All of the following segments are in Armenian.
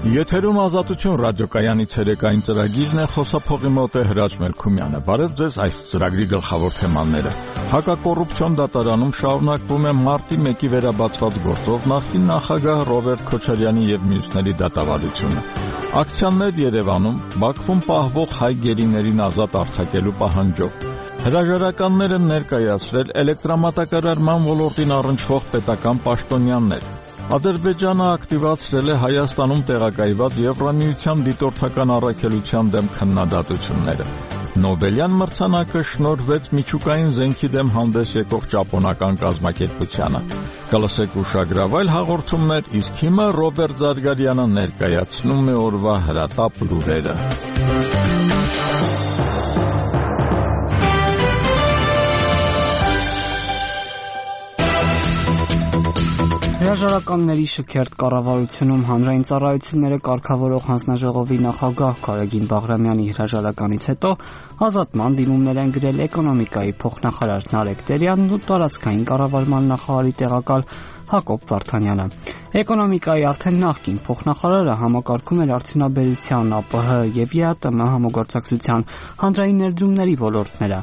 Եթերում Ազատություն ռադիոկայանի ցերեկային ծրագիրն է, խոսափողի մոտ է Հրաչ Մելքումյանը։ Բարև ձեզ, այս ծրագրի գլխավոր թեմաները։ Հակակոռուպցիոն դատարանում շարունակվում է մարտի 1-ի վերաբացված գործով նախկին նախագահ Ռոբերտ Քոչարյանի եւ մյուսների դատավարությունը։ Ակցիաներ Երևանում, Բաքվում պահվող հայ գերիներին ազատ արձակելու պահանջով։ Հրաժարականները ներկայացրել էլեկտրամատակարարման ոլորտին առնչվող պետական պաշտոնյաներ։ Ադրբեջանը ակտիվացրել է Հայաստանում տեղակայված Եվրամիության դիտորդական առաքելության դեմ քննադատությունները։ Նոբելյան մրցանակը շնորհվեց միջուկային զենքի դեմ հանդես եկող ճապոնական կազմակերպությանը։ Կլսեք ուշագրավայլ հաղորդումներ, իսկ հիմա Ռոբերտ Զարգարյանը ներկայացնում է օրվա հրատապ լուրերը։ Հրաժարականների շքերթ կառավարությունում հանրային ծառայությունները կարգավորող հանձնաժողովի նախագահ Գարեգին Բաղրամյանի հրաժարականից հետո ազատման դիմումներ են գրել էկոնոմիկայի փոխնախարար Նարեկ Տերյանն ու տարածքային կառավարման նախարարի տեղակալ Հակոբ Վարդանյանը։ Էկոնոմիկայի արդեն նախկին փոխնախարարը համակարգում էր արդյունաբերության, ԱՊՀ եւ ԵԱՏՄ համագործակցության հանրային ներդրումների ոլորտները։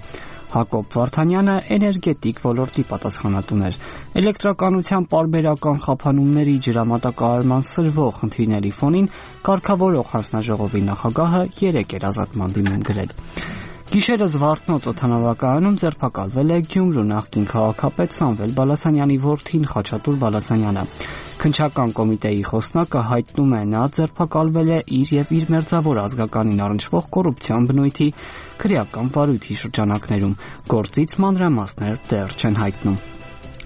Հակոբ Վարդանյանը էներգետիկ ոլորտի պատասխանատուն էր։ Էլեկտրականության պարբերական խափանումների, ջրամատակարարման սրվող խնդիրների ֆոնին կարգավորող հանձնաժողովի նախագահը 3 էր ազատման դիմում գրել։ Գիշերը Զվարթնոց օդանավակայանում ձերբակալվել է Գյումրու նախկին քաղաքապետ Սամվել Բալասանյանի որդին Խաչատուր Բալասանյանը։ Քննչական կոմիտեի խոսնակը հայտնում է, նա ձերբակալվել է իր եւ իր մերձավոր ազգականին առնչվող կոռուպցիոն բնույթի քրեական վարույթի շրջանակներում։ Գործից մանրամասներ դեռ չեն հայտնում։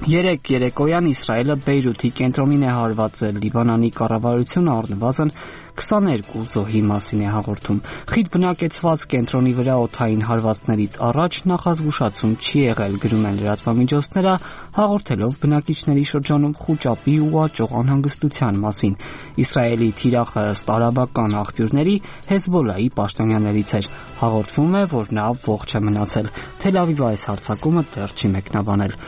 Երեկոյան Իսրայելը Բեյրութի կենտրոնին է հարվածել։ Լիբանանի կառավարությունը առնվազն 22 զոհի մասին է հաղորդում։ Խիտ բնակեցված կենտրոնի վրա օդային հարվածներից առաջ նախազգուշացում չի եղել, գրում են լրատվամիջոցները, հաղորդելով բնակիչների շրջանում խուճապի ու աճող անհանգստության մասին։ Իսրայելի թիրախը ըստ արաբական աղբյուրների Հեզբոլայի պաշտոնյաներից էր։ Հաղորդվում է, որ նա ողջ է մնացել։ Թել Ավիվը այս հարձակումը դեռ չի մեկնաբանել։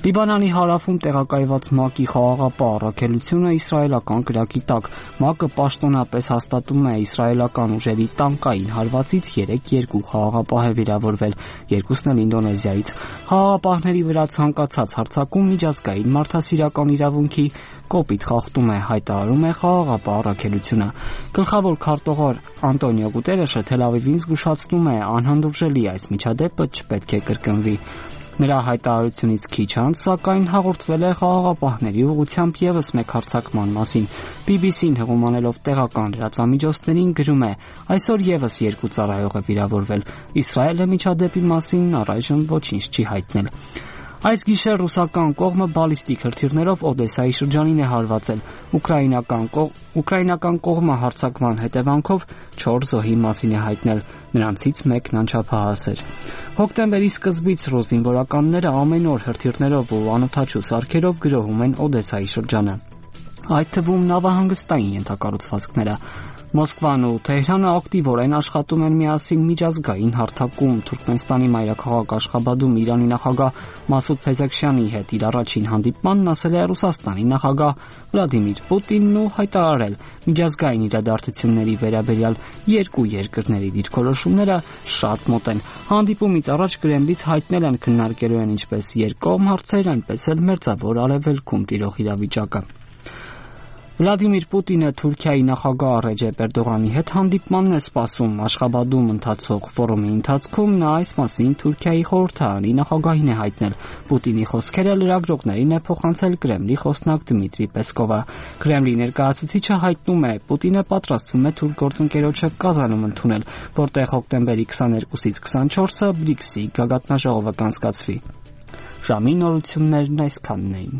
Լիբանանի հարավում տեղակայված ՄԱԿ-ի խաղաղապահ առաքելությունը իսրայելական կրակի տակ։ ՄԱԿ-ը պաշտոնապես հաստատում է իսրայելական ուժերի տանկային հարվածից 3 խաղաղապահ է վիրավորվել, 2-ն էլ Ինդոնեզիայից։ Խաղաղապահների վրա ցանկացած հարձակում միջազգային մարդասիրական իրավունքի կոպիտ խախտում է, հայտարարում է խաղաղապահ առաքելությունը։ Գլխավոր քարտուղար Անտոնիո Գուտերեշը Թել Ավիվին զգուշացնում է, անհանդուրժելի այս միջադեպը չպետք է կրկնվի։ Նրա հայտարարությունից քիչ անց, սակայն հաղորդվել է խաղաղապահների ուղղությամբ եւս մեկ հարձակման մասին։ BBC-ն հղումանելով տեղական լրատվամիջոցներին գրում է. այսօր եւս 2 ծառայող է վիրավորվել։ Իսրայելը միջադեպի մասին առայժմ ոչինչ չի հայտնել։ Այս գիշեր ռուսական կողմը բալիստիկ հրթիռներով Օդեսայի շրջանին է հարվածել։ Ուկրաինական կողմը հարձակման հետևանքով 4 զոհի մասին է հայտնել, նրանցից մեկն անչափահաս էր։ Հոկտեմբերի սկզբից ռուս զինվորականները ամեն օր հրթիռներով ու անօդաչու սարքերով գրոհում են Օդեսայի շրջանը, այդ թվում նավահանգստային ենթակառուցվածքները։ Մոսկվան ու Թեհրանը ակտիվորեն աշխատում են միասին միջազգային հարթակում։ Թուրքմենստանի մայրաքաղաք Աշխաբադում Իրանի նախագահ Մասուդ Փեզեքշյանի հետ իր առաջին հանդիպմանն ասել է Ռուսաստանի նախագահ Վլադիմիր Պուտինն ու հայտարարել, միջազգային իրադարձությունների վերաբերյալ երկու երկրների դիրքորոշումները շատ մոտ են։ Հանդիպումից առաջ Կրեմլից հայտնել են քննարկելու են ինչպես երկկողմ հարցեր, այնպես էլ մերձավոր արևելքում տիրող իրավիճակը։ Վլադիմիր Պուտինը Թուրքիայի նախագահ Ռեջեփ Էրդողանի հետ հանդիպմանն է սպասում։ Աշխաբադում ընթացող ֆորումի ընթացքում նա այս մասին Թուրքիայի խորհրդարանի նախագահին է հայտնել։ Պուտինի խոսքերը լրագրողներին է փոխանցել Կրեմլի խոսնակ Դմիտրի Պեսկովը։ Կրեմլի ներկայացուցիչը հայտնում է, Պուտինը պատրաստվում է թուրք գործընկերոջը Կազանում ընդունել, որտեղ հոկտեմբերի 22-ից 24-ը BRICS-ի գագաթնաժողովը կանցկացվի։ Ժամի նորություններն այսքանն էին։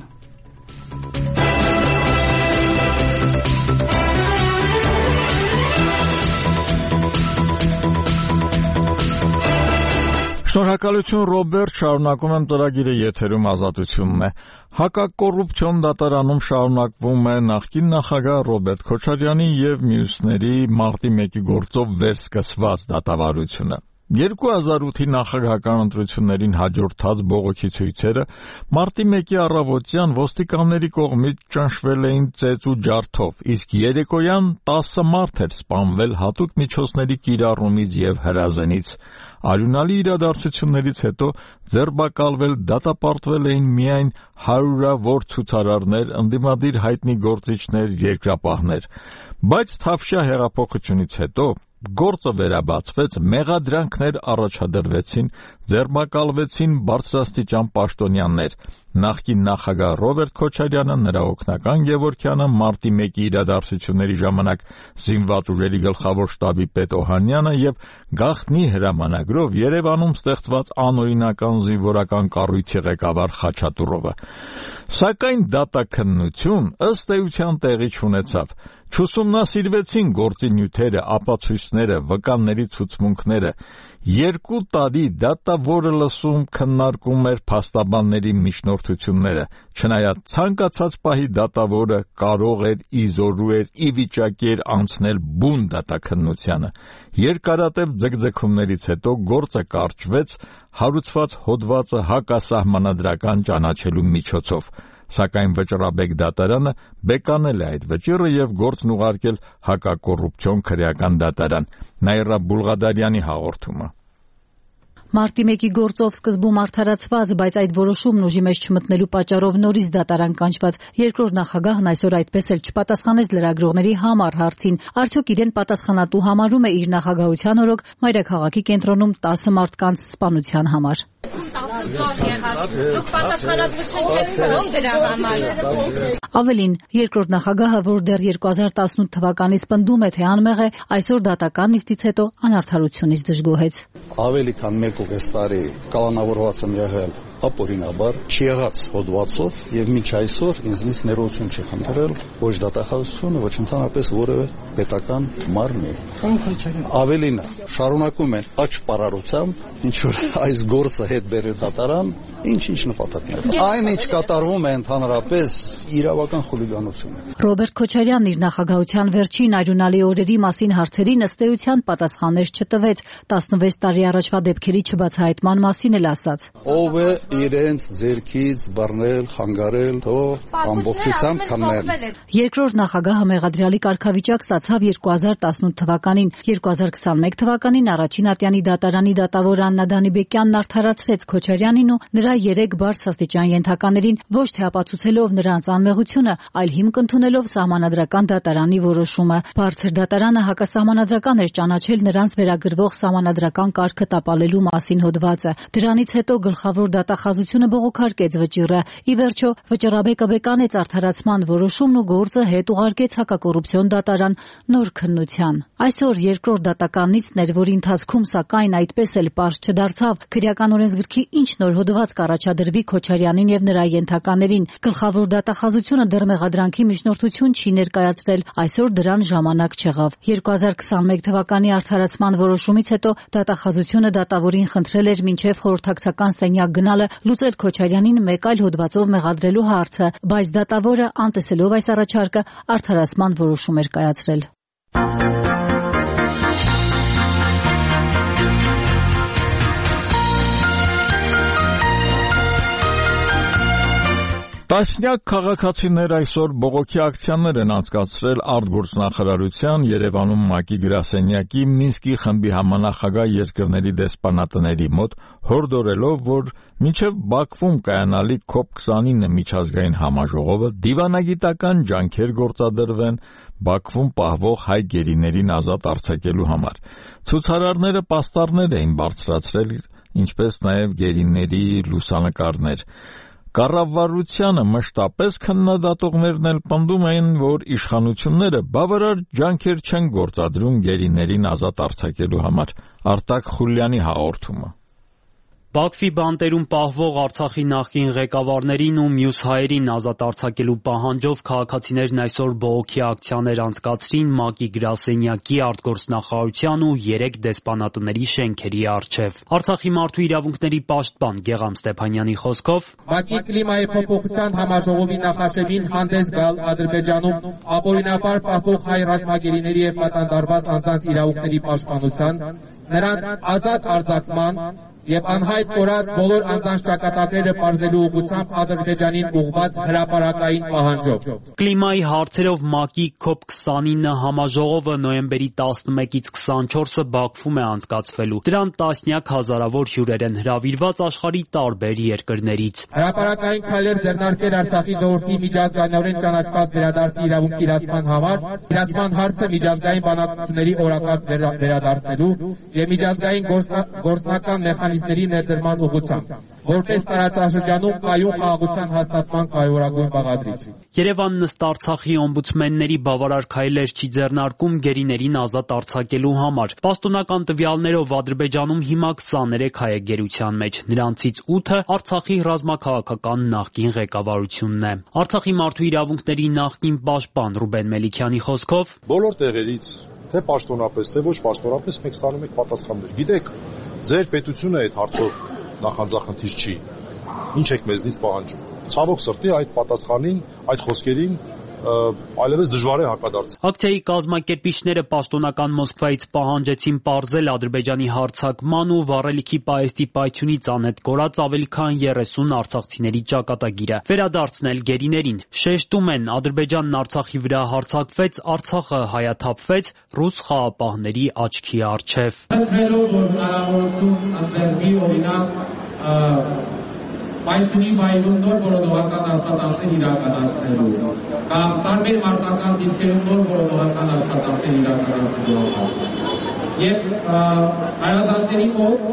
Շնորհակալություն Ռոբերտ, շարունակում եմ ծրագիրը, եթերում Ազատությունն է։ Հակակոռուպցիոն դատարանում շարունակվում է նախկին նախագահ Ռոբերտ Քոչարյանի եւ մյուսների մարտի 1-ի գործով վերսկսված դատավարությունը։ 2008-ի նախագահական ընտրություններին հաջորդած բողոքի ցույցերը մարտի 1-ի առավոտյան ոստիկանների կողմից ճնշվել էին ծեծ ու ջարդով, իսկ երեկոյան 10 մարդ էր սպանվել հատուկ միջոցների կիրառումից եւ հրազենից։ Արյունալի իրադարձություններից հետո ձերբակալվել, դատապարտվել էին միայն հարյուրավոր ցուցարարներ, ընդդիմադիր հայտնի գործիչներ, երկրապահներ։ Բայց Թավշյա հեղափոխությունից հետո գործը վերաբացվեց, մեղադրանքներ առաջադրվեցին, ձերբակալվեցին բարձրաստիճան պաշտոնյաներ։ Նախկին նախագահ Ռոբերտ Քոչարյանը, նրա օգնական Գևորգյանը, մարտի 1-ի իրադարձությունների ժամանակ զինված ուժերի գլխավոր շտաբի պետ Օհանյանը եւ գաղտնի հրամանագրով Երևանում ստեղծված անօրինական զինվորական կառույցի ղեկավար Խաչատուրովը։ Սակայն դատաքննություն ըստ էության տեղի չունեցավ։ Չուսումնասիրվեցին գործի նյութերը, ապացույցները, վկանների ցուցմունքները։ 2 տարի դատավորը լսում, քննարկում էր փաստաբանների միջնորդությունները, չնայած ցանկացած պահի դատավորը կարող էր, իզորու էր, ի վիճակի էր անցնել բուն դատաքննությանը։ Երկարատև ձգձգումներից հետո գործը կարճվեց, հարուցված հոդվածը հակասահմանադրական ճանաչելու միջոցով։ Սակայն վճռաբեկ դատարանը բեկանել է այդ վճիռը եւ գործն ուղարկել հակակոռուպցիոն քրեական դատարան։ Նաիրա Բուլղադարյանի հաղորդումը։ Մարտի 1-ի գործով սկզբում արդարացված, բայց այդ որոշումն ուժի մեջ չմտնելու պատճառով նորից դատարան կանչված երկրորդ նախագահն այսօր այդպես էլ չպատասխանեց լրագրողների համար հարցին, արդյոք իրեն պատասխանատու համարում է իր նախագահության օրոք մայրաքաղաքի կենտրոնում 10 մարդկանց սպանության համար։ Դուք պատասխանատվություն չեք կրում դրա համար։ Ավելին, երկրորդ նախագահը, որ դեռ 2018 թվականից պնդում է, թե անմեղ է, այսօր դատական նիստից հետո անարդարությունից դժգոհեց։ Ավելի քան 1.5 տարի կալանավորված եմ եղել ապօրինաբար, չեղած հոդվածով եւ մինչ այսօր ինձնից ներողություն չի խնդրել ոչ դատախազությունը, ոչ ընդհանրապես որևէ պետական մարմնի։ Ավելին, շարունակում են աճ պարարությամբ, ինչ որ այս գործը հետ բերել դատարան, ինչ նպատակներ։ Այն ինչ կատարվում է ընդհանրապես իրավական խուլիգանություն է։ Ռոբերտ Քոչարյանն իր նախագահության վերջին արյունալի օրերի մասին հարցերին ըստ էության պատասխաններ չտվեց, 16 տարի առաջվա դեպքերի չբացահայտման մասին էլ ասաց։ Ով է իրենց ձերքից բռնել, խանգարել, թող ամբողջությամբ քննել։ Երկրորդ նախագահը մեղադրյալի կարգավիճակ ստացավ 2018 թվականին, 2021 թվականին առաջին ատյանի դատարանի դատավոր Աննա Դանիբեկյանն արդարացրեց Քոչարյանին ու նրա 3 բարձրաստիճան ենթականերին ոչ թե ապացուցելով նրանց անմեղությունը, այլ հիմք ընդունելով սահմանադրական դատարանի որոշումը։ Բարձր դատարանը հակասահմանադրական էր ճանաչել նրանց վերագրվող սահմանադրական կարգը տապալելու մասին հոդվածը։ Դրանից հետո գլխավոր դատախազությունը բողոքարկեց վճիռը։ Ի վերջո, վճռաբեկը բեկանեց արդարացման որոշումն ու գործը հետ ուղարկեց հակակոռուպցիոն դատարան նոր քննության։ Այսօր երկրորդ դատական նիստն էր, որի ընթացքում սակայն այդպես էլ պարզ չդարձավ քրեական օրենսգրքի ինչ նոր հոդված կառաջադրվի Քոչարյանին եւ նրա ենթականերին։ Գլխավոր դատախազությունը դեռ մեղադրանքի միջնորդություն չի ներկայացրել, այսօր դրան ժամանակ չեղավ։ 2021 թվականի արդարացման որոշումից հետո դատախազությունը դատավորին խնդրել էր մինչև խորհրդակցական սենյակ գնալը լուծել Քոչարյանին մեկ այլ հոդվածով մեղադրելու հարցը, բայց դատավորը, անտեսելով այս առաջարկը, արդարացման որոշում էր կայացրել։ Տասնյակ քաղաքացիներ այսօր բողոքի ակցիաներ են անցկացրել արտգործնախարարության, Երևանում ՄԱԿ-ի գրասենյակի, Մինսկի խմբի համանախագահ երկրների դեսպանատների մոտ, հորդորելով, որ մինչև Բաքվում կայանալի COP29 միջազգային համաժողովը դիվանագիտական ջանքեր գործադրվեն Բաքվում պահվող հայ գերիներին ազատ արձակելու համար։ Ցուցարարները պաստառներ էին բարձրացրել, ինչպես նաև գերիների լուսանկարներ։ Կառավարությանը մշտապես քննադատողներն էլ պնդում էին, որ իշխանությունները բավարար ջանքեր չեն գործադրում գերիներին ազատ արձակելու համար։ Արտակ Խուլյանի հաղորդումը։ Բաքվի բանտերում պահվող Արցախի նախկին ղեկավարներին ու մյուս հայերին ազատ արձակելու պահանջով քաղաքացիներն այսօր բողոքի ակցիաներ անցկացրին ՄԱԿ-ի գրասենյակի, արտգործնախարարության ու 3 դեսպանատների շենքերի առջև։ Արցախի մարդու իրավունքների պաշտպան Գեղամ Ստեփանյանի խոսքով ՄԱԿ-ի կլիմայի փոփոխության համաժողովի նախաշեմին հանդես գալ Ադրբեջանում ապօրինաբար պահվող հայ ռազմագերիների եւ պատանդարված անձանց իրավունքների պաշտպանության նրանց ազատ արձակման եւ անհայտ կորած բոլոր անձանց ճակատագրերը պարզելու ուղղությամբ Ադրբեջանին ուղղված հրապարակային պահանջով։ Կլիմայի հարցերով ՄԱԿ-ի COP29 համաժողովը նոյեմբերի 11-ից 24-ը Բաքվում է անցկացվելու։ Դրան տասնյակ հազարավոր հյուրեր են հրավիրված աշխարհի տարբեր երկրներից։ Հրապարակային քայլեր ձեռնարկել Արցախի ժողովրդի միջազգայինորեն ճանաչված վերադարձի իրավունքի իրացման համար, իրացման հարցը միջազգային բանակցությունների օրակարգ վերադարձնելու եւ միջազգային գործնական մեխանիզմների ներդրման ուղղությամբ, որպես տարածաշրջանում կայուն խաղաղության հաստատման կարևորագույն բաղադրիչ։ Երևանն ըստ Արցախի օմբուդսմենների բավարար քայլեր չի ձեռնարկում գերիներին ազատ արձակելու համար։ Պաշտոնական տվյալներով Ադրբեջանում հիմա 23 հայ է գերության մեջ, նրանցից 8-ը Արցախի ռազմաքաղաքական նախկին ղեկավարությունն է։ Արցախի մարդու իրավունքների նախկին պաշտպան Ռուբեն Մելիքյանի խոսքով բոլոր տեղերից թե պաշտոնապես, թե ոչ պաշտոնապես մենք ստանում ենք պատասխաններ։ Գիտեք, ձեր պետությունը այդ հարցով նախանձախնդիր չի։ Ինչ եք մեզնից պահանջում։ Ցավոք սրտի այդ պատասխանին, այդ խոսքերին այլևս դժվար է հակադարձել։ Ակցիայի կազմակերպիչները պաշտոնական Մոսկվայից պահանջեցին պարզել Ադրբեջանի հարձակման ու վառելիքի պահեստի պայթյունից անհետ կորած ավելի քան 30 արցախցիների ճակատագիրը, վերադարձնել գերիներին։ Շեշտում են, Ադրբեջանն Արցախի վրա հարձակվեց, Արցախը հայաթափվեց ռուս խաղապահների աչքի առջև։ Պայթյունի վայրում նոր որոնողական աշխատանքներ իրականացնելու կամ տարբեր մարտական դիրքերում նոր որոնողական աշխատանքներ իրականացնելու եւ հայազանների մոտ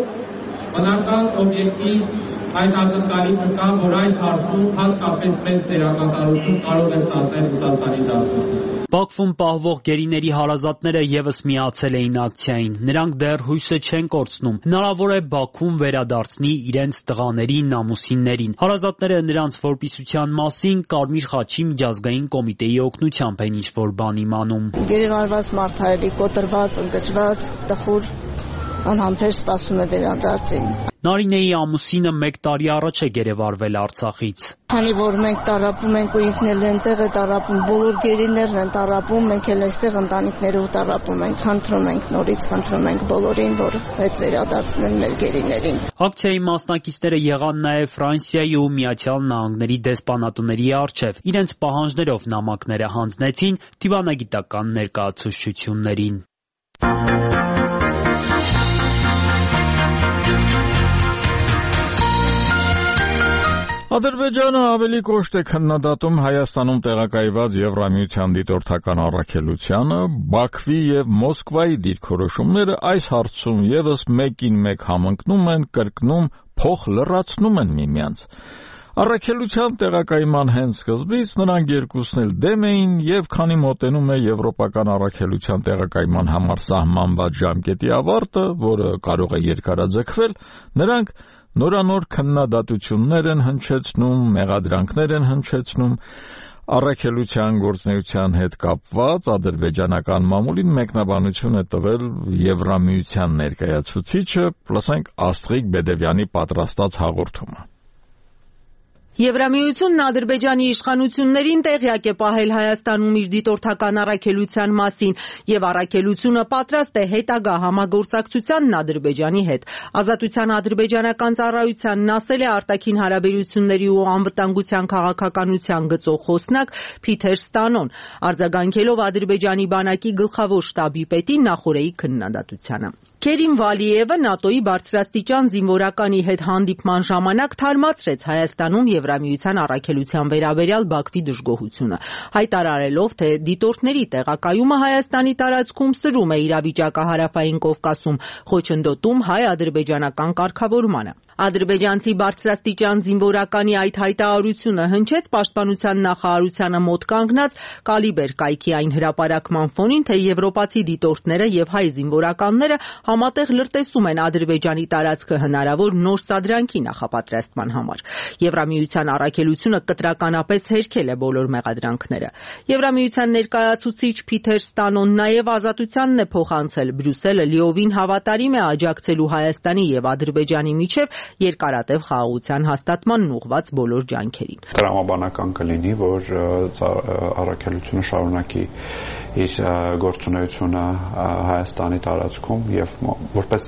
բնական օբյեկտիվ այս ակնկալիքը կա, որ այս հարցում հատկապես մեծ դերակատարություն կարող է ստանձնել Ռուսաստանի դաշտում։ Բաքվում պահվող գերիների հարազատները եւս միացել էին ակցիային։ Նրանք դեռ հույսը չեն կորցնում։ Հնարավոր է Բաքուն վերադարձնի իրենց տղաներին, ամուսիններին։ Հարազատները նրանց որպիսության մասին Կարմիր խաչի միջազգային կոմիտեի օգնությամբ են ինչ-որ բան իմանում։ Գերեվարված մարդարելի, կոտրված, ընկճված, տխուր անհամբեր սպասում է վերադարձին։ Նարինեի ամուսինը 1 տարի առաջ է գերեվարվել Արցախից։ Քանի որ մենք տառապում ենք ու ինքն էլ այնտեղ է տառապում, բոլոր գերիներն են տառապում, մենք էլ այստեղ ընտանիքներով տառապում ենք, խնդրում ենք նորից խնդրում ենք բոլորին, որ հետ վերադարձնեն մեր գերիներին։ Ակցիայի մասնակիցները եղան նաև Ֆրանսիայի ու Միացյալ Նահանգների դեսպանատների առջև։ Իրենց պահանջներով նամակները հանձնեցին դիվանագիտական ներկայացուցչություններին։ Ադրբեջանը ավելի կոշտ է քննադատում Հայաստանում տեղակայված Եվրամիության դիտորդական առաքելությանը, Բաքվի եւ Մոսկվայի դիրքորոշումները այս հարցում եւս մեկին մեկ համընկնում են, կրկնում, փոխ լրացնում են միմյանց։ Առաքելության տեղակայման հենց սկզբից նրանք երկուսն էլ դեմ էին եւ քանի մոտենում է եվրոպական առաքելության տեղակայման համար սահմանված ժամկետի ավարտը, որը կարող է երկարաձգվել, նրանք նորանոր քննադատություններ են հնչեցնում, մեղադրանքներ են հնչեցնում, առաքելության գործունեության հետ կապված ադրբեջանական մամուլին մեկնաբանություն է տվել Եվրամիության ներկայացուցիչը, լսենք Աստղիկ Բեդևյանի պատրաստած հաղորդումը։ Եվրամիությունն Ադրբեջանի իշխանություններին տեղյակ է պահել Հայաստանում իր դիտորդական առաքելության մասին եւ առաքելությունը պատրաստ է հետագա համագործակցությանն Ադրբեջանի հետ։ Ազատության ադրբեջանական ծառայությանն ասել է արտաքին հարաբերությունների ու անվտանգության քաղաքականության գծող խոսնակ Փիթեր Ստանոն, արձագանքելով Ադրբեջանի բանակի գլխավոր շտաբի պետի Նախորեի քննադատությանը։ Քերիմ Վալիևը ՆԱՏՕ-ի բարձրաստիճան զինվորականի հետ հանդիպման ժամանակ թարմացրեց Հայաստանում Եվրամիության առաքելության վերաբերյալ Բաքվի դժգոհությունը, հայտարարելով, թե դիտորդների տեղակայումը Հայաստանի տարածքում սրում է իրավիճակը Հարավային Կովկասում, խոչընդոտում հայ-ադրբեջանական կարգավորմանը։ Ադրբեջանցի բարձրաստիճան զինվորականի այդ հայտարարությունը հնչեց պաշտպանության նախարարությանը մոտ կանգնած Կալիբեր կայքի այն հրապարակման ֆոնին, թե եվրոպացի դիտորդները եւ հայ զինվորականները համատեղ լրտեսում են Ադրբեջանի տարածքը հնարավոր նոր սադրանքի նախապատրաստման համար։ Եվրամիության առաքելությունը կտրականապես հերքել է բոլոր մեղադրանքները։ Եվրամիության ներկայացուցիչ Փիթեր Ստանոն նաեւ ազատությանն է փոխանցել Բրյուսելը լիովին հավատարիմ է աջակցելու Հայաստանի եւ Ադրբեջանի միջև երկարատև խաղաղության հաստատմանն ուղղված բոլոր ջանքերին։ Տրամաբանական կլինի, որ առաքելությունը շարունակի իր գործունեությունը Հայաստանի տարածքում եւ որպես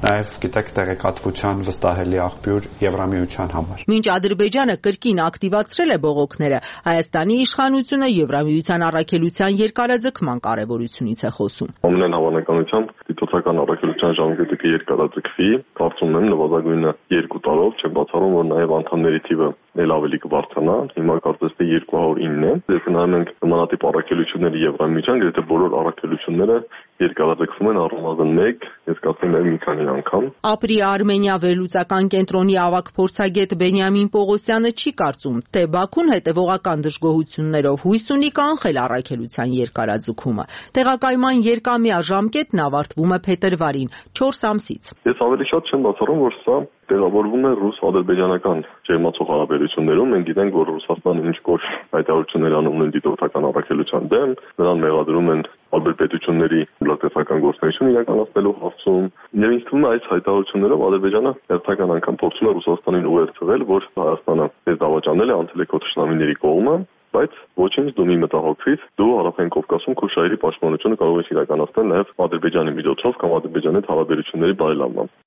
նաև գիտեք տեղեկատվության վստահելի աղբյուր Եվրամիության համար։ Մինչ Ադրբեջանը կրկին ակտիվացրել է բողոքները, Հայաստանի իշխանությունը Եվրամիության առաքելության երկարաձգման կարևորությունից է խոսում։ Ամենայն հավանականությամբ դիտորդական առաքելության ժամկետը երկարաձգվի, կարծում եմ նվազագույնը 2 տարով, չեմ բացառում, որ նաև անդամների թիվը էլ ավելի կբարձրանա, հիմա կարծես թե 209 է։ Եթե նայում ենք նմանատիպ առաքելությունների Եվրամիության, գրեթե բոլոր առաքելությունները երկարաձգվում են առնվազն 1, ես կարծում եմ մի քանի անգամ։ Ապրի Արմենիա վերլուծական կենտրոնի ավագ փորձագետ Բենյամին Պողոսյանը չի կարծում, թե Բաքուն հետևողական դժգոհություններով հույս ունի կանխել առաքելության երկարաձգումը։ Տեղակայման երկամյա ժամկետն ավարտվում է փետրվարին, 4 ամսից։ Ես ավելի շատ չեմ բացառում, որ սա տեղավորվում է ռուս-ադրբեջանական ջերմացող հարաբերություններում։ Մենք գիտենք, որ Ռուսաստանը ինչ-որ հայտարարություններ անում են դիտորդական առաքելության դեմ, նրան մեղադրում են տարբեր պետությունների լրատվական գործունեություն իրականացնելու հարցում։ Եվ ինձ թվում է այս հայտարարություններով Ադրբեջանը հերթական անգամ փորձում է Ռուսաստանին ուղերձվել, որ Հայաստանը դες դավաճանել է, անցել է քո թշնամիների կողմը, բայց ոչինչ դու մի մտահոգվիր, դու Հարավային Կովկասում քո շահերի պաշտպանությունը կարող ես իրականացնել նաև Ադրբեջանի միջոցով կամ Ադրբեջանի հետ հարաբերությունների բարելավմամբ։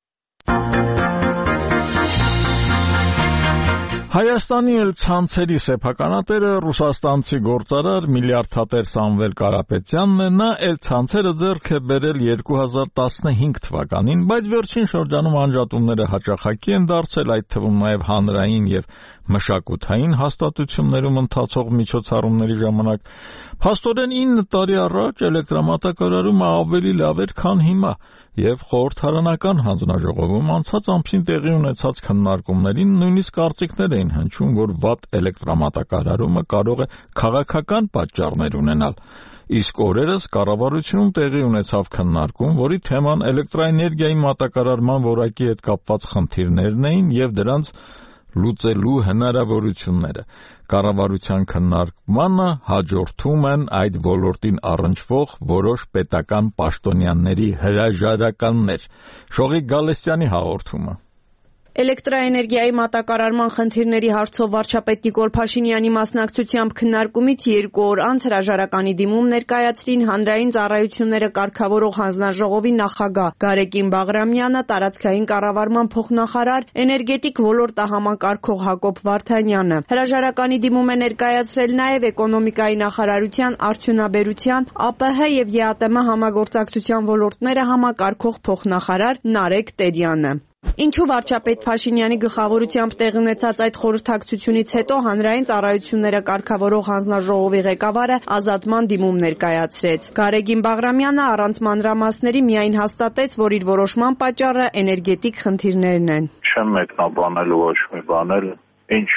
Հայաստանի էլ ցանցերի սեփականատերը ռուսաստանցի գործարար միլիարդատեր Սամվել Կարապետյանն է, նա էլ ցանցերը ձեռք է բերել 2015 թվականին, բայց վերջին շրջանում անջատումները հաճախակի են դարձել, այդ թվում նաև հանրային եւ մշակութային հաստատություններում ընթացող միջոցառումների ժամանակ։ Փաստորեն 9 տարի առաջ էլեկտրամատակարարումը ավելի լավ էր, քան հիմա, եւ խորհրդարանական հանձնաժողովում անցած ամսին տեղի ունեցած քննարկումներին նույնիսկ կարծիքներ էին հնչում, որ վատ էլեկտրամատակարարումը կարող է քաղաքական պատճառներ ունենալ։ Իսկ օրերս կառավարությունում տեղի ունեցավ քննարկում, որի թեման էլեկտրաէներգիայի մատակարարման որակի հետ կապված խնդիրներն էին եւ դրանց լուծելու հնարավորությունները։ Կառավարության քննարկմանը հաջորդում են այդ ոլորտին առնչվող որոշ պետական պաշտոնյաների հրաժարականներ։ Շողիկ Գալստյանի հաղորդումը։ Էլեկտրաէներգիայի մատակարարման խնդիրների հարցով վարչապետ Նիկոլ Փաշինյանի մասնակցությամբ քննարկումից 2 օր անց հրաժարականի դիմում ներկայացրին հանրային ծառայությունները կարգավորող հանձնաժողովի նախագահ Գարեգին Բաղրամյանը, տարածքային կառավարման փոխնախարար, էներգետիկ ոլորտը համակարգող Հակոբ Վարդանյանը։ Հրաժարականի դիմում է ներկայացրել նաև էկոնոմիկայի նախարարության, արդյունաբերության, ԱՊՀ եւ ԵԱՏՄ համագործակցության ոլորտները համակարգող փոխնախարար Նարեկ Տերյանը։ Ինչու վարչապետ Փաշինյանի գլխավորությամբ տեղի ունեցած այդ խորհրդակցությունից հետո հանրային ծառայությունները կարգավորող հանձնաժողովի ղեկավարը ազատման դիմում ներկայացրեց։ Գարեգին Բաղրամյանը առանց մանրամասների միայն հաստատեց, որ իր որոշման պատճառը էներգետիկ խնդիրներն են։ Չեմ մեկնաբանել ոչ մի բան, ինչ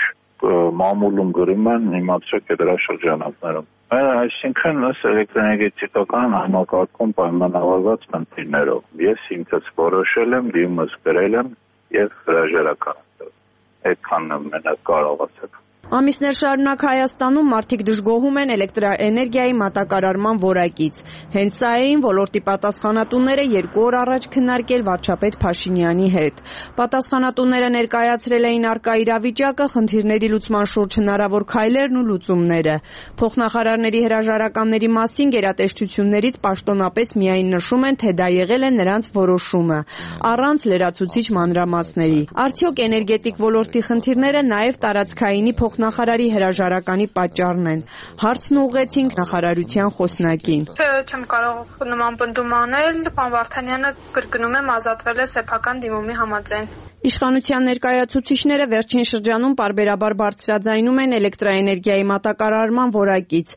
մամուլում գրում են, իմացրեք է դրա շրջանակներում։ Այսինքն էլեկտրոէներգետիկական համակարգում պայմանավորված խնդիրներով ես ինքս որոշել եմ, դիմս գրել եմ եւ հրաժարական։ Այդքանն եմ մենակ կարողացել։ Ամիսներ շարունակ Հայաստանում մարդիկ դժգոհում են էլեկտրաէներգիայի մատակարարման որակից։ Հենց սա էին ոլորտի պատասխանատուները 2 օր առաջ քննարկել վարչապետ Փաշինյանի հետ։ Պատասխանատուները ներկայացրել էին առկա իրավիճակը, խնդիրների լուծման շուրջ հնարավոր քայլերն ու լուծումները։ Փոխնախարարների հրաժարականների մասին գերատեսչություններից պաշտոնապես միայն նշում են, թե դա եղել է նրանց որոշումը, առանց լրացուցիչ մանրամասների։ Արդյոք էներգետիկ ոլորտի խնդիրները նաև տարածքայինի փոխնախարարի հրաժարականի պատճառն են։ Հարցն ուղղեցինք նախարարության խոսնակին։ Չեմ կարող նման պնդում անել, պարոն Վարդանյանը կրկնում եմ ազատվել է սեփական դիմումի համաձայն։ Իշխանության ներկայացուցիչները վերջին շրջանում պարբերաբար բարձրաձայնում են էլեկտրաէներգիայի մատակարարման որակից։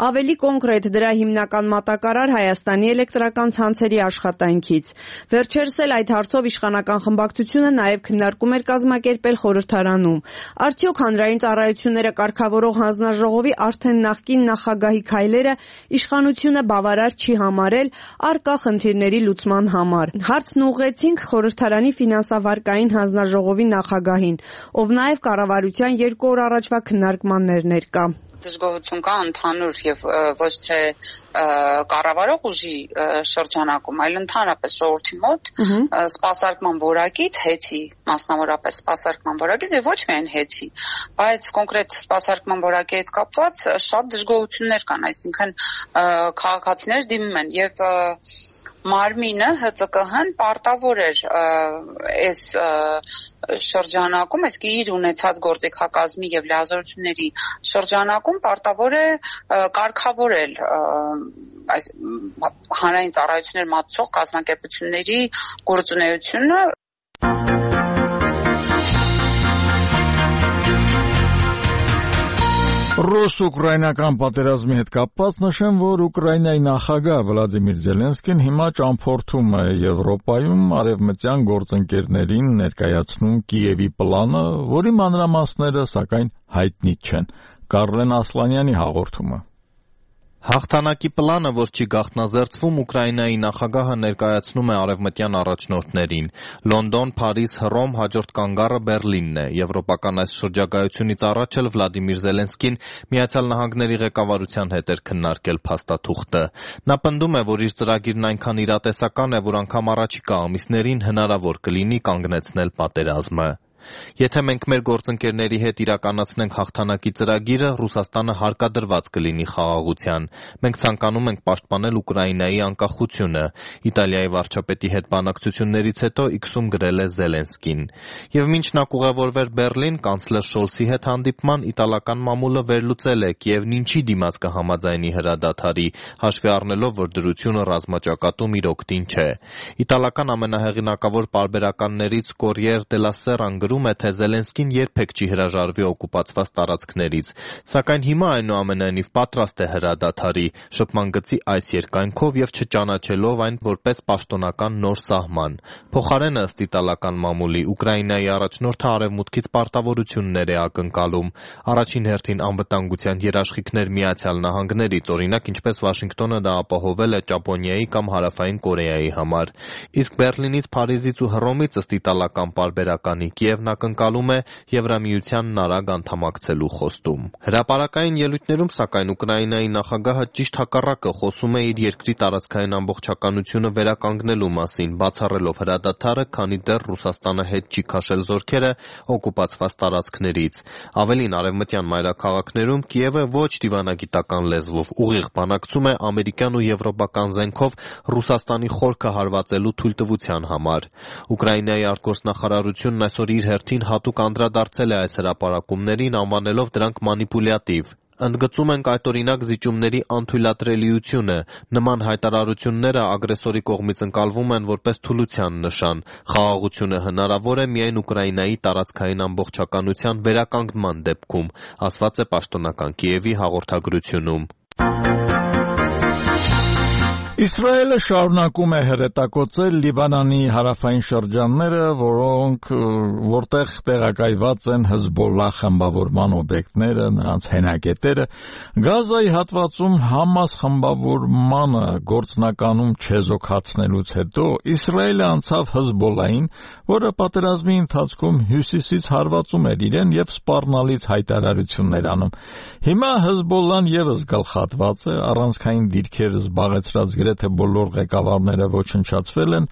Ավելի կոնկրետ դրա հիմնական մատակարար Հայաստանի էլեկտրական ցանցերի աշխատանքից։ Վերջերս էլ այդ հարցով իշխանական խմբակցությունը նաև քննարկում էր կազմակերպել խորհրդարանում։ Արդյոք հանրային ծառայությունները կարգավորող հանձնաժողովի արդեն նախկին նախագահի քայլերը իշխանությունը բավարար չի համարել առկա խնդիրների լուծման համար։ Հարցն ուղղեցինք խորհրդարանի ֆինանսավարկային հանձնաժողովի նախագահին, ով նաև կառավարության 2 օր առաջվա քննարկմաններ ներկա։ Դժգոհություն կա ընդհանուր եւ ոչ թե կառավարող ուժի շրջանակում, այլ ընդհանրապես ժողովրդի մոտ սպասարկման որակից հեծի, մասնավորապես սպասարկման որակից եւ ոչ միայն հեծի, բայց կոնկրետ սպասարկման որակի հետ կապված շատ դժգոհություններ կան, այսինքն քաղաքացիներ դիմում են եւ մարմինը ՀԾԿՀ-ն պարտավոր էր այս շրջանակում, այսինքն իր ունեցած գործիքակազմի եւ լիազորությունների շրջանակում պարտավոր է կարգավորել այս հանրային ծառայություններ մատուցող կազմակերպությունների գործունեությունը։ Ռուս-ուկրաինական պատերազմի հետ կապված նշեմ, որ Ուկրաինայի նախագահ Վլադիմիր Զելենսկին հիմա ճամփորդում է Եվրոպայում արևմտյան գործընկերներին ներկայացնում Կիևի պլանը, որի մանրամասները սակայն հայտնի չեն։ Կարլեն Ասլանյանի հաղորդումը։ Հաղթանակի պլանը, որ չի գաղտնազերծվում, Ուկրաինայի նախագահը ներկայացնում է արևմտյան առաջնորդներին։ Լոնդոն, Փարիզ, Հռոմ, հաջորդ կանգառը Բերլինն է։ Եվրոպական այս շրջագայությունից առաջ էլ Վլադիմիր Զելենսկին Միացյալ Նահանգների ղեկավարության հետ էր քննարկել փաստաթուղթը։ Նա պնդում է, որ իր ծրագիրն այնքան իրատեսական է, որ անգամ առաջիկա ամիսներին հնարավոր կլինի կանգնեցնել պատերազմը։ Եթե մենք մեր գործընկերների հետ իրականացնենք հաղթանակի ծրագիրը, Ռուսաստանը հարկադրված կլինի խաղաղության։ Մենք ցանկանում ենք պաշտպանել Ուկրաինայի անկախությունը։ Իտալիայի վարչապետի հետ բանակցություններից հետո X-ում գրել է Զելենսկին։ Եվ մինչ նա կուղևորվեր Բերլին, կանցլեր Շոլցի հետ հանդիպման, իտալական մամուլը վերլուծել է Կիևն ինչի դիմաց կհամաձայնի հրադադարի, հաշվի առնելով, որ դրությունը ռազմաճակատում իր օգտին չէ։ Իտալական ամենահեղինակավոր պարբերականներից Corriere della Sera գրում է, թե Զելենսկին երբեք չի հրաժարվի օկուպացված տարածքներից, սակայն հիմա այնուամենայնիվ պատրաստ է հրադադարի, շփման գծի այս երկայնքով եւ չճանաչելով այն որպես պաշտոնական նոր սահման։ Փոխարենը, ըստ իտալական մամուլի, Ուկրաինայի առաջնորդը արևմուտքից պարտավորություններ է ակնկալում, առաջին հերթին անվտանգության երաշխիքներ Միացյալ Նահանգներից, օրինակ ինչպես Վաշինգտոնը դա ապահովել է Ճապոնիայի կամ Հարավային Կորեայի համար։ Իսկ Բերլինից, Փարիզից ու Հռոմից, ըստ իտալական պարբերականի, Կիևն ակնկալում է Եվրամիությանն արագ անդամակցելու խոստում։ Հրապարակային ելույթներում, սակայն, Ուկրաինայի նախագահը ճիշտ հակառակը խոսում է իր երկրի տարածքային ամբողջականությունը վերականգնելու մասին, բացառելով հրադադարը, քանի դեռ Ռուսաստանը հետ չի քաշել զորքերը օկուպացված տարածքներից։ Ավելին, արևմտյան մայրաքաղաքներում Կիևը ոչ դիվանագիտական լեզվով ուղիղ բանակցում է ամերիկյան ու եվրոպական զենքով Ռուսաստանի խորքը հարվածելու թույլտվության համար։ Ուկրաինայի արտգործնախարարությունն այսօր իր հերթին հատուկ անդրադարձել է այս հրապարակումներին, անվանելով դրանք մանիպուլյատիվ։ Ընդգծում ենք այդօրինակ զիջումների անթույլատրելիությունը։ Նման հայտարարությունները ագրեսորի կողմից ընկալվում են որպես թուլության նշան։ Խաղաղությունը հնարավոր է միայն Ուկրաինայի տարածքային ամբողջականության վերականգնման դեպքում, ասված է պաշտոնական Կիևի հաղորդագրությունում։ Իսրայելը շարունակում է հրետակոծել Լիբանանի հարավային շրջանները, որտեղ տեղակայված են Հեզբոլլահ խմբավորման օբյեկտները, նրանց հենակետերը։ Գազայի հատվածում Համաս խմբավորմանը գործնականում չեզոքացնելուց հետո Իսրայելը անցավ Հեզբոլլահին, որը պատերազմի ընթացքում հյուսիսից հարվածում էր իրեն եւ սպառնալից հայտարարություններ անում։ Հիմա Հեզբոլլահն եւս գլխատված է, առանցքային դիրքեր զբաղեցրած թե բոլոր ղեկավարները ոչնչացվել են,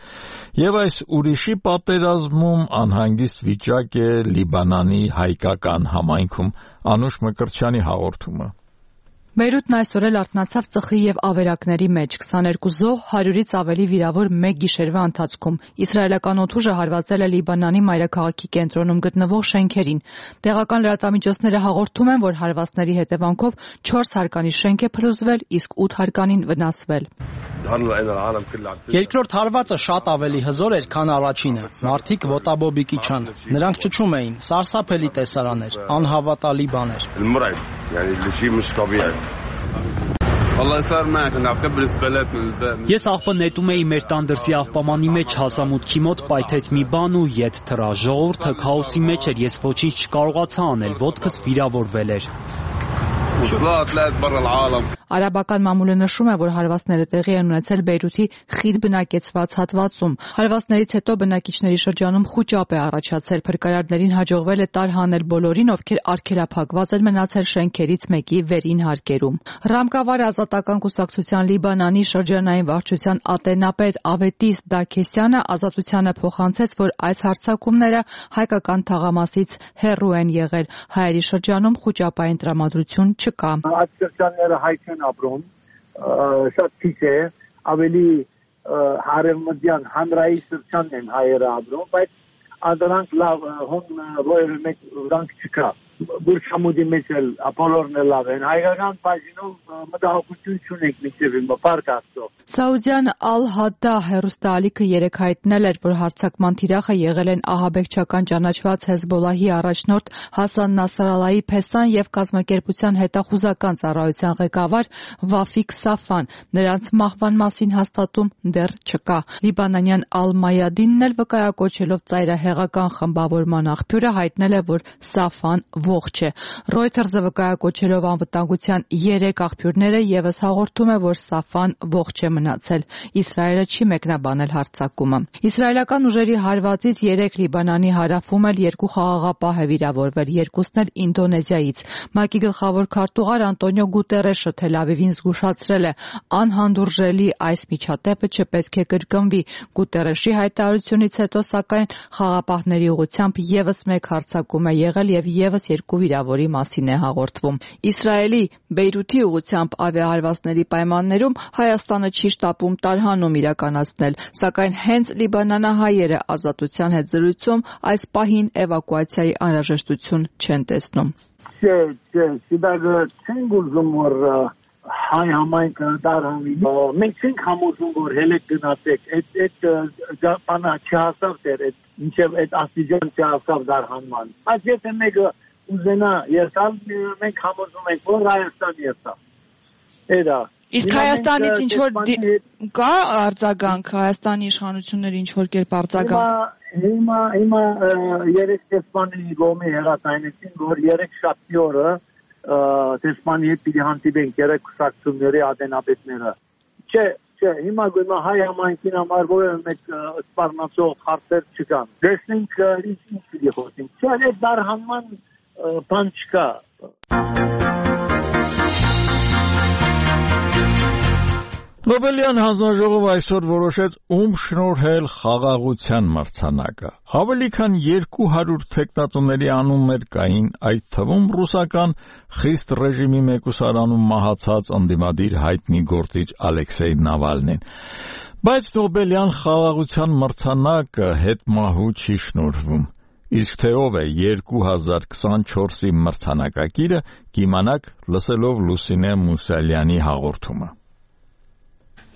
եւ այս ուրիշի պատերազմում անհանգիստ վիճակ է Լիբանանի հայկական համայնքում։ Անուշ Մկրտչյանի հաղորդումը։ Բեյրութն այսօր էլ արթնացավ ծխի եւ ավերակների մեջ, 22 զոհ, 100-ից ավելի վիրավոր մեկ գիշերվա ընթացքում։ Իսրայելական օդուժը հարվածել է Լիբանանի մայրաքաղաքի կենտրոնում գտնվող շենքերին։ Տեղական լրատվամիջոցները հաղորդում են, որ հարվածների հետևանքով 4 հարկանի շենք է փլուզվել, իսկ 8 հարկանին վնասվել։ Երկրորդ հարվածը շատ ավելի հզոր էր, քան առաջինը։ Մարդիկ ոտաբոբիկի չան։ Նրանք ճչում էին, սարսափելի տեսարան էր, անհավատալի բան էր։ Ես աղբը նետում էի մեր տանդրսի աղբամանի մեջ, հասա մուտքի մոտ, պայթեց մի բան ու ետ թռա։ Ժողովուրդը քաոսի մեջ էր, ես ոչինչ չկարողացա անել, ոտքս վիրավորվել էր։ Արաբական մամուլը նշում է, որ հարվածները տեղի են ունեցել Բեյրութի խիտ բնակեցված հատվածում։ Հարվածներից հետո բնակիչների շրջանում խուճապ է առաջացել, փրկարարներին հաջողվել է տարհանել բոլորին, ովքեր արգելափակված են մնացել շենքերից մեկի վերին հարկերում։ Ռամկավար ազատական կուսակցության Լիբանանի շրջանային վարչության ատենապետ Ավետիս Դաքեսյանը ազատությանը փոխանցեց, որ այս հարձակումները հայկական թաղամասից հեռու են եղել։ Հայերի շրջանում խուճապային տրամադրություն չկա։ Այդ շրջանները հայք են ապրում, շատ քիչ է, ավելի հարևմտյան հանրային սրճանն են հայերը ապրում, բայց ադրանք լավ հոն ողերը մեկ վրանք չկա։ Բուրշամուդի մեջ էլ ապոլորն է լավ են, հայկական բաժինում մտահոգություն չունենք մինչև հիմա, պարկ աստծո։ Սաուդյան Ալ-Հադդա հեռուստաալիքը երեկ հայտնել էր, որ հարձակման թիրախը եղել են ահաբեկչական ճանաչված Հեզբոլահի առաջնորդ Հասան Նասրալլահի փեսան եւ կազմակերպության հետախուզական ծառայության ղեկավար Վաֆիկ Սաֆան, նրանց մահվան մասին հաստատում դեռ չկա։ Լիբանանյան Ալ-Մայադինն էլ վկայակոչելով ծայրահեղական խմբավորման աղբյուրը հայտնել է, որ Սաֆան ողջ է։ Reuters-ը վկայակոչելով անվտանգության 3 աղբյուրները եւս հաղորդում է, որ Սաֆան ողջ է մնացել։ Իսրայելը չի մեկնաբանել հարձակումը։ Իսրայելական ուժերի հարվածից 3 Լիբանանի հարավում էլ 2 խաղաղապահ է վիրավորվել, երկուսն էլ Ինդոնեզիայից։ ՄԱԿ-ի գլխավոր քարտուղար Անտոնիո Գուտերեշը Թել Ավիվին զգուշացրել է, անհանդուրժելի այս միջադեպը չպետք է կրկնվի։ Գուտերեշի հայտարարությունից հետո, սակայն, խաղաղապահների ուղղությամբ եւս մեկ հարձակում է եղել եւ եւս 2 վիրավորի մասին է հաղորդվում։ Իսրայելի Բեյրութի ուղղությամբ ավիահարվածների պայմաններում Հայաստանը չի շտապում տարհանում իրականացնել, սակայն հենց լիբանանահայերը Ազատության հետ զրույցում այս պահին էվակուացիայի անհրաժեշտություն չեն տեսնում։ Չենք ուզում, որ հայ համայնքը տարհանի։ Մենք չենք համոզում, որ հելեք գնացեք, այդ բանը չհասավ դեռ, մինչև այդ աստիճան չհասավ դարհանման։ Բայց եթե մեկը ուզենա երթալ, մենք համոզում ենք, որ Հայաստան երթա։ Էդա։ Իսկ Հայաստանից ինչ որ կա արձագանք, Հայաստանի իշխանությունները ինչ որ կերպ արձագանք։ Հիմա երեք դեսպանի գոմի հերացայնեցին, որ 3 շաբթի օրը դեսպանի հետ պիտի հանդիպենք երեք կուսակցությունների ադենապետները։ Չէ, հիմա գույնը հայ համայնքին համար որևէ մեկ սպառնացող հարցեր չկան։ Տեսնենք ինչ պիտի խոսենք։ Չէ, այդ դարհանման բան չկա։ Նոբելյան հանձնաժողովը այսօր որոշեց ում շնորհել խաղաղության մրցանակը։ Ավելի քան 200 թեկնածուների անուններ կային, այդ թվում ռուսական խիստ ռեժիմի մեկուսարանում մահացած ընդդիմադիր հայտնի գործիչ Ալեքսեյ Նավալնին։ Բայց Նոբելյան խաղաղության մրցանակը հետմահու չի շնորհվում։ Իսկ թե ով է 2024-ի մրցանակակիրը, կիմանաք լսելով Լուսինե Մուսալյանի հաղորդումը։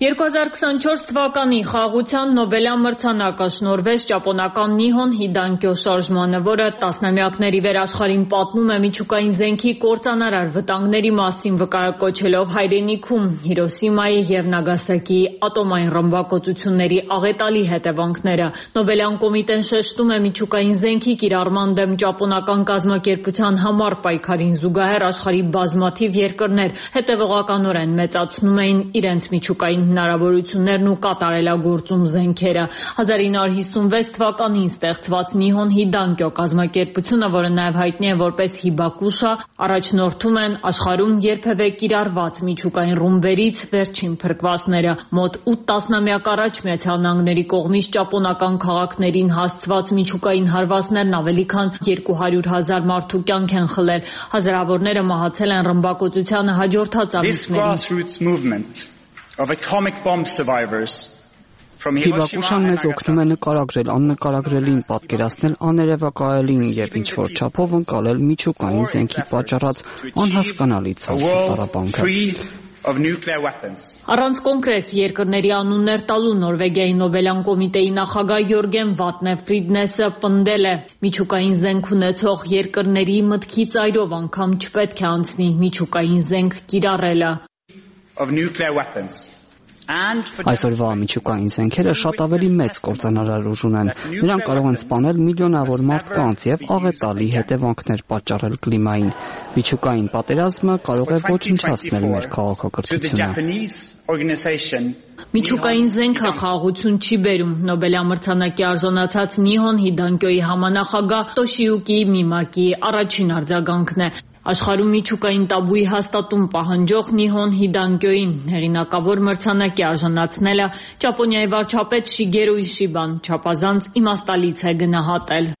2024 թվականի խաղաղության Նոբելյան մրցանակը շնորհվեց ճապոնական Նիհոն Հիդանկյո շարժմանը, որը տասնամյակների վեր աշխարհին պատմում է միջուկային զենքի կործանարար վտանգների մասին, վկայակոչելով հայրենիքում Հիրոսիմայի եւ Նագասակիի ատոմային ռմբակոծությունների աղետալի հետևանքները։ Նոբելյան կոմիտեն շեշտում է միջուկային զենքի կիրառման դեմ ճապոնական կազմակերպության համար պայքարին զուգահեռ աշխարհի բազմաթիվ երկրներ հետևողականորեն մեծացնում էին իրենց միջուկային հնարավորություններն ու կատարելագործում զենքերը։ 1956 թվականին ստեղծված Նիհոն Հիդանկյո կազմակերպությունը, որը նաև հայտնի է որպես Հիբակուշա, առաջնորդում են աշխարհում երբևէ կիրառված միջուկային ռումբերից վերջին փրկվածները։ Մոտ 8 տասնամյակ առաջ Միացյալ Նահանգների կողմից ճապոնական քաղաքներին հասցված միջուկային հարվածներն ավելի քան 200,000 մարդու կյանք են խլել։ Հազարավորները մահացել են ռմբակոծությանը հաջորդած ամիսներին։ Of atomic bomb survivors from Հիբակուշան մեզ օգնում է նկարագրել աննկարագրելին, պատկերացնել աներևակայելին եւ ինչ որ չափով ընկալել միջուկային զենքի պատճառած անհասկանալի ցավը։ Առանց կոնկրետ երկրների անուններ տալու Նորվեգիայի Նոբելյան կոմիտեի նախագահ Յորգեն Վատնե Ֆրիդնեսը պնդել է. միջուկային զենք ունեցող երկրների մտքի ծայրով անգամ չպետք է անցնի միջուկային զենք կիրառելը։ Այսօրվա միջուկային զենքերը շատ ավելի մեծ կործանարար ուժ ունեն։ Նրանք կարող են սպանել միլիոնավոր մարդկանց եւ աղետալի հետևանքներ պատճառել կլիմային։ Միջուկային պատերազմը կարող է ոչնչացնել մեր քաղաքակրթությունը։ Միջուկային զենքը խաղաղություն չի բերում։ Նոբելյան մրցանակի արժանացած Նիհոն Հիդանկյոյի համանախագահ Տոշիյուկի Միմակիի առաջին արձագանքն է։ Աշխարհում միջուկային տաբուի հաստատում պահանջող Նիհոն Հիդանկյոյին հեղինակավոր մրցանակի արժանացնելը Ճապոնիայի վարչապետ Շիգերու Իշիբան չափազանց իմաստալից է գնահատել։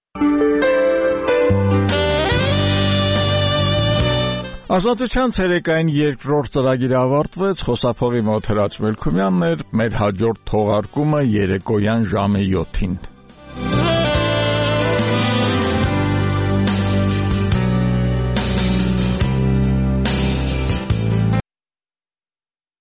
Ազատության ցերեկային երկրորդ ծրագիրը ավարտվեց, խոսափողի մոտ Հրաչ Մելքումյանն էր, մեր հաջորդ թողարկումը երեկոյան ժամը 7-ին։